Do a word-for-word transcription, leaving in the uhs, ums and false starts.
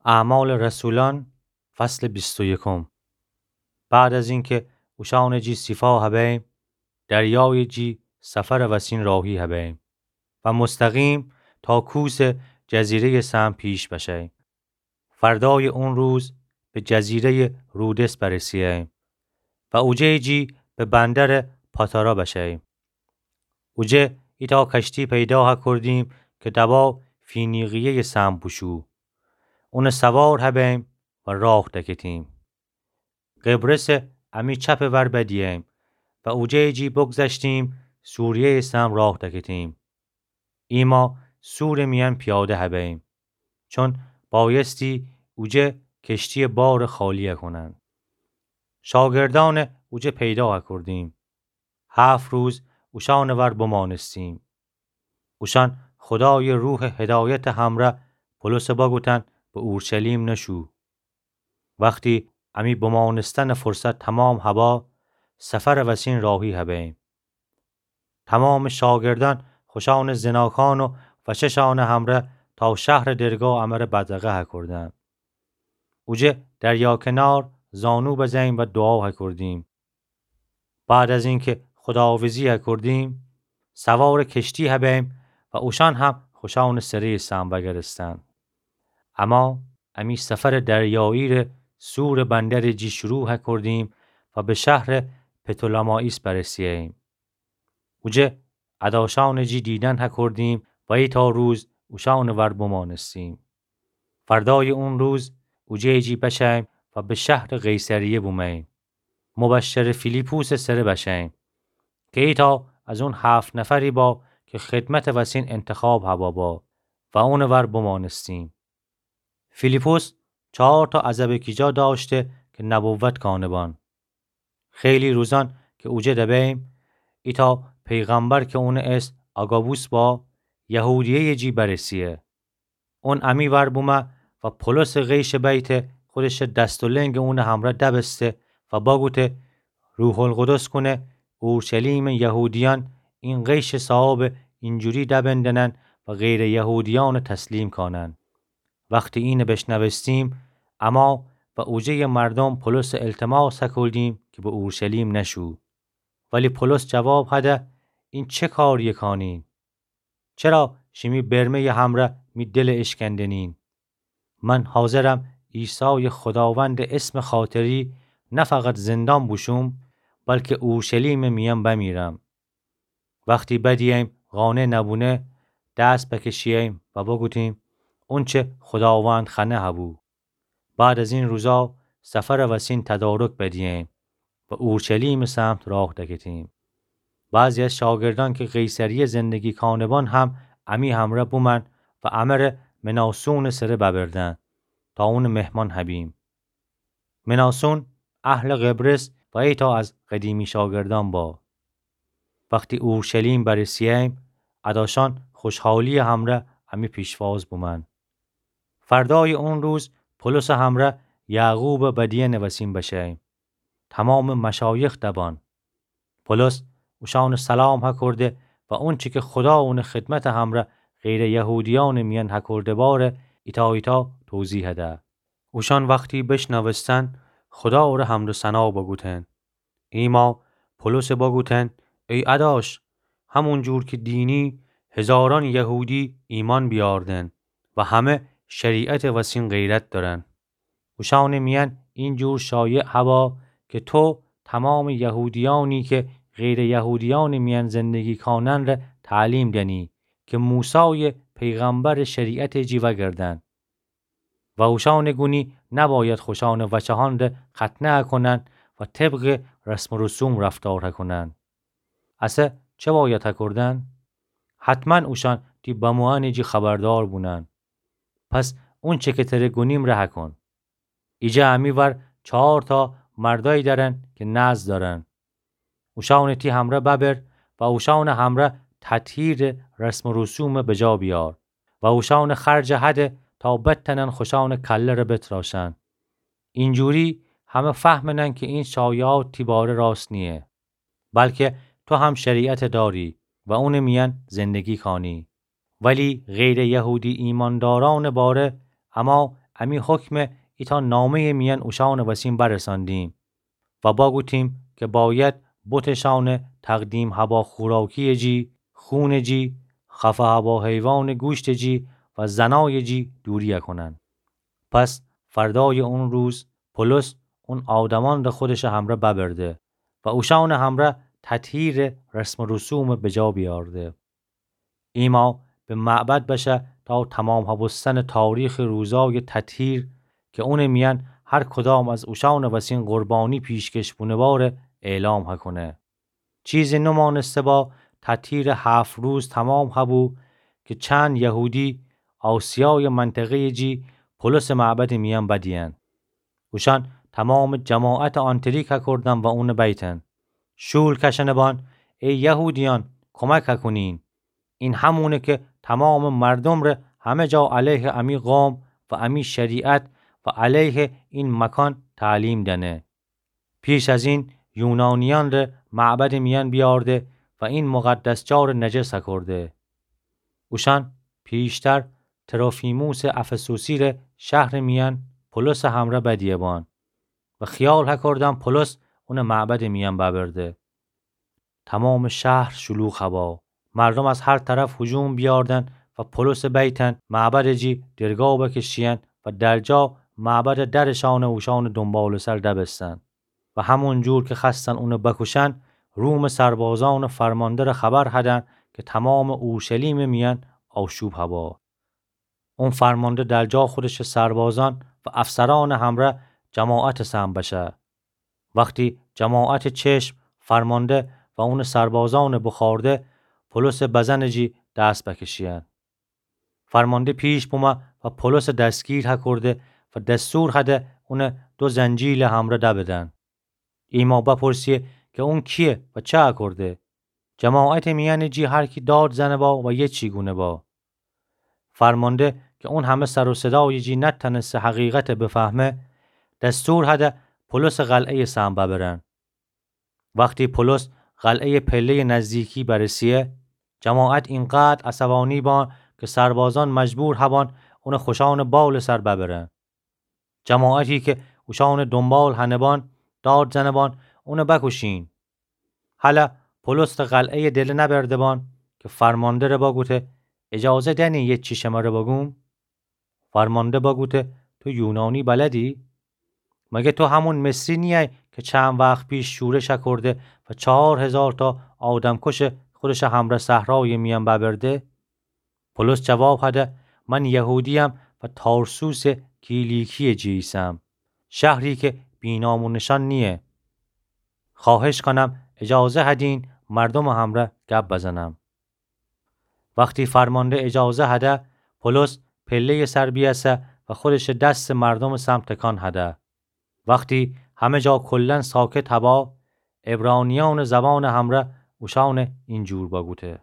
اعمال رسولان، فصل بیست و یکم. بعد از اینکه اوشان جی سیفا هبیم، دریای جی سفر وسین راهی هبیم و مستقیم تا کوس جزیرهٔ سم پیش بشیم. فردای اون روز به جزیرهٔ رودس برسییم و اوجه جی به بندر پاتارا بشیم. اوجه ایتا کشتی پیدا هکردیم که دبا فینیقیهٔ سم بوشو. اون سوار هبیم و راه دکتیم. قبرس امی چپ ور بدییم و اوجه جی بگذشتیم سوریهٔ سم راه دکتیم. ایما سور میان پیاده هبیم، چون بایستی اوجه کشتی بار خالی کنن. شاگردان اوجه پیدا هکردیم. هفت روز اوشان ور بمانستیم. اوشان خدای روح هدایت همره پولس بگوتن به اورشلیم نشو. وقتی امی بمانستن فرصت تمام هبا، سفر وسین راهی هبیم. تمام شاگردان خوشان زناکان و وچشان همره تا شهر دربه امره بدرقه هکردن. اوجه دریا کنار زانو بزیم و دعا هکردیم. بعد از اینکه خداحافظی هکردیم، سوار کشتی هبیم و اوشان هم خوشان سرهٔ سم وگرستن. اما امی سفر دریایی ره سور بندر جی شروع هکردیم و به شهر پتولمائیس برسییم. اوجه اداشان جی دیدن هکردیم و ایتا روز اوشان ور بمانستیم. فردای اون روز اوجه جی بشیم و به شهر قیصریه بومیم. مبشر فیلیپوس سره بشیم که ایتا از اون هفت نفری با که خدمت وسین انتخاب هبا با و اون ور بمانستیم. فیلیپوس چهار تا عزب کیجا داشته که نبوت کانه بان. خیلی روزان که اوجه دبیم، ایتا پیغمبر که اون اسم آگابوس با، یهودیهٔ جی برسیه. اون امی ور بومه و پولس غیش بیته، خودش دست و لنگ اون همره دبسته و باگوته: روح القدس کونه اورشلیم یهودیان این غیش صاحاب اینجوری دبندنن و غیر یهودیان تسلیم کانن. وقتی این بشنوستیم، اما و اوجهٔ مردم پولس التماس هکولدیم که به اورشلیم نشو. ولی پولس جواب هده: این چه کاریه کانین؟ چرا شیمی برمهٔ همره می دل اشکندنین؟ من حاضرم عیسای خداوند اسم خاطری نه فقط زندان بوشوم، بلکه اورشلیم میان بمیرم. وقتی بدییم قانع نبونه، دست بکشییم و بگوتیم: اونچه خداوند خوأنه هبو. بعد از این روزا سفر وسین تدارک بدییم و اورشلیم سمت راه دکتیم. بعضی از شاگردان که قیصریه زندگی کانه بان هم امی همره بومن و امره مناسون سره ببردن تا اون مهمان هبیم. مناسون اهل قبرس و ایتا از قدیمی شاگردان با. وقتی اورشلیم برسییم، اداشان خوشحالی همره امی پیشواز بومن. فردای اون روز پولس همره یعقوب بدیه نوسین بشیم. تمام مشایخ دبان. پولس اوشان سلام هکرده و اونچه که خدا اون خدمت همره غیر یهودیان میان هکرده باره ایتا ایتا توضیح هده. اوشان وقتی بشنوستن، خدا ره حمد و ثنا بگوتن. ایما پولس بگوتن: ای اداش، همون جور که دینی، هزاران یهودی ایمان بیاردن و همه شریعت وسین غیرت دارن. اوشان میان این جور شایع هوا که تو تمام یهودیانی که غیر یهودیان میان زندگی کانن ره تعلیم دنی که موسی پیغمبر شریعت جی وگردن. و اوشان گونی نباید خوشان وچهان ره ختنه کنن و طبق رسم و رسوم رفتار کنن. اسه چه باید کردن؟ حتما اوشان تی بموئن جی خبردار بونن. پس اونچه که تره گونیم ره کن. ایجا امی ور چهار تا مردای دارن که نذر دارن. اوشان تی همره ببر و اوشان همره تطهیر رسم و رسوم بجا بیار و اوشان خرج هده تا بتنن خوشان کله ره بتراشن. اینجوری همه فهمنن که این شایعات تی باره راست نیه، بلکه تو هم شریعت داری و اون میان زندگی کانی. ولی غیر یهودی ایمانداران باره اما امی حکمه ایتأ نامه‌یٚ میأن اوشأنٚ وسین برسأندیم و باگوتیم که باید بتٚ شأنٚ تقدیم هوا خوراکی‌یٚ جی، خونٚ جی، خفه هوا حیوانٚ گوشتٚ جی و زنایٚ جی دوری‌یه کونن. پس فردایٚ اون روز پولس اون آدمأنٚ خودشٚ همرأ ببرده و اوشأنٚ همرأ تطهیرٚ رسم و رسومٚ بجا بیأرده. ایما به معبد بشه تا تمام هبوستنٚ تاریخٚ روزایٚ تطهیر که اونٚ میأن هر کدام از اوشأنٚ وسین قربانی پیشکش بونه‌باره اعلام هکونه. چیزی نمانسته با تطهیرٚ هفت روز تمام هبو که چند یهودی آسیایٚ منطقه‌یٚ جی پولسٚ معبدٚ میأن بدیین. اوشأن تمامٚ جماعتٚ آنتریک هکردن و اونٚ بیتن: شول کشأنه بان، ای یهودیأن، کمک هکونین. این همونه که تمامٚ مردومٚ ره همه جا علیهٚ امی قوم و امی شریعت و علیهٚ این مکان تعلیم دأنه. پیش از این یونانیأنٚ ره معبدٚ میأن بیأرده و این مقدس جا ره نجس هکرده. اوشأن پیشتر تروفیموسٚ افسوسی ره شهرٚ میأن پولسٚ همرأ بدیه بان و خیال هکردن پولس اونٚ معبدٚ میأن ببرده. تمامٚ شهر شلوغ هوا. مردوم از هر طرف هجوم بیأردن و پولسٚ بیتن معبدٚ جی درگا بکشیین و درجا معبدٚ درٚ شأن اوشأنٚ دونبالٚ سر دبستن و همون جور که خوأستن اونٚ بکوشن، رومٚ سربازأنٚ فرمانده ره خبر هدن که تمامٚ اورشلیمٚ میأن آشوب هوا. اون فرمانده درجا خودشٚ سربازأن و افسرأنٚ همرأ جماعتٚ سم بشه. وختی جماعتٚ چشم فرمانده و اونٚ سربازأنٚ بخورده، پولسٚ بزنٚ جی دست بکشیین. فرمانده پیش بومه و پولسٚ دستگیر هکرده و دستور هده اونٚ دو زنجیلٚ همرأ دبدن. ایما بپرسیه که اون کییه و چه هکرده. جماعتٚ میأنٚ جی هر کی داد زنه با و یه چی گونه با. فرمانده که اون همه سر و صدایٚ جی نتأنسته حقیقت بفهمه، دستور هده پولسٚ قلعه‌یٚ سم ببرن. وختی پولس قلعه‌یٚ پله‌یٚ نزدیکی برسیه، جماعت اینقدر عصبانی بان که سربازأن مجبور هبان اونٚ خوشأنٚ بالٚ سر ببرن. جماعتی که اوشأنٚ دونبال هنه بان، داد زنه بان اونٚ بکوشین. هله پولس ره قلعه‌یٚ دله نبرده بان که فرمانده ره بگوته: اجازه دأنی یه چی شمره بگوم؟ فرمانده بگوته: تو یونانی بلدی؟ مگه تو همون مصری نییی که چند وخت پیش شورش کرده و چهار هزار تا آدمکش خودش همرأ صحرایٚ میأن ببرده؟ پولس جواب هده: من یهودییم و تارسوسٚ کیلیکییٚ جی ایسم، شهری که بی‌نام و نشان نییه. خواهش کنم اجازه هدین مردومٚ همرأ گب بزنم. وختی فرمانده اجازه هده، پولس پله‌یٚ سر بیسه و خودش دس مردومٚ سمت تکان هده. وختی همه جا کلاً ساکت هوا، عبرانیأنٚ زبانٚ همرأ اوشأن اینجور بگوته: